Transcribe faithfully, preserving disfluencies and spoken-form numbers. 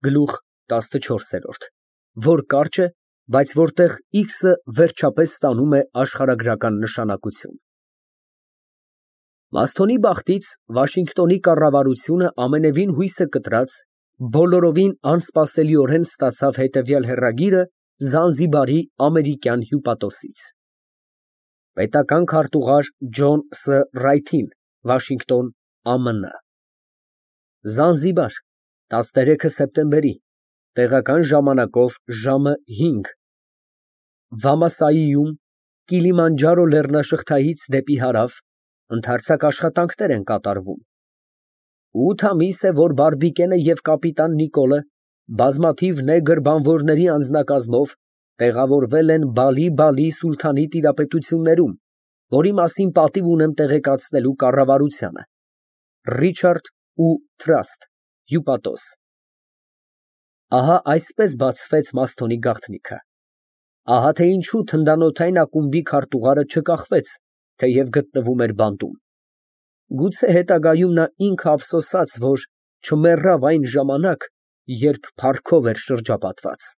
Գլուխ տասնչորս, որ կարճ է, բայց որտեղ X֊ը վերջապես ստանում է աշխարհագրական նշանակություն։ Մասթոնի բախտից Վաշինգտոնի կառավարությունը ամենևին հույսը կտրած, բոլորովին անսպասելիորեն ստացավ հետևյալ հեռագիրը Զանզիբարի ամերիկյան հյուպատոսից. Պետական քարտուղար Ջոն Ս. Ռայթին, Վաշինգտոն, Α Մ Ն Զանզիբար, տասներեքը սեպտեմբերի, տեղական ժամանակով ժամը հինգ Վամասայիում, Կիլիմանջարո լեռնաշղթայից դեպի հարավ, ընդարձակ աշխատանքներ են կատարվում։ Ութ ամիս է, որ Բարբիկենը և կապիտան Նիկոլը բազմաթիվ նեգր բանվորների անձնակազմով տեղավորվել են Բալի֊Բալի սուլթանի տիրապետություններում, որի մասին պատիվ ունեմ տեղեկացնելու կառավարությանը։ Ռիչարդ ու Թրաստ, հյուպատոս։ Ահա այսպես բացվեց Մասթոնի գաղտնիքը։ Ահա թե ինչու թնդանոթային ակումբի քարտուղարը չկախվեց, թեև գտնվում էր բանտում։ Գուցե հետագայում նա ինքը ափսոսաց, որ չմեռավ այն ժամանակ, երբ փառքով էր շրջապատված։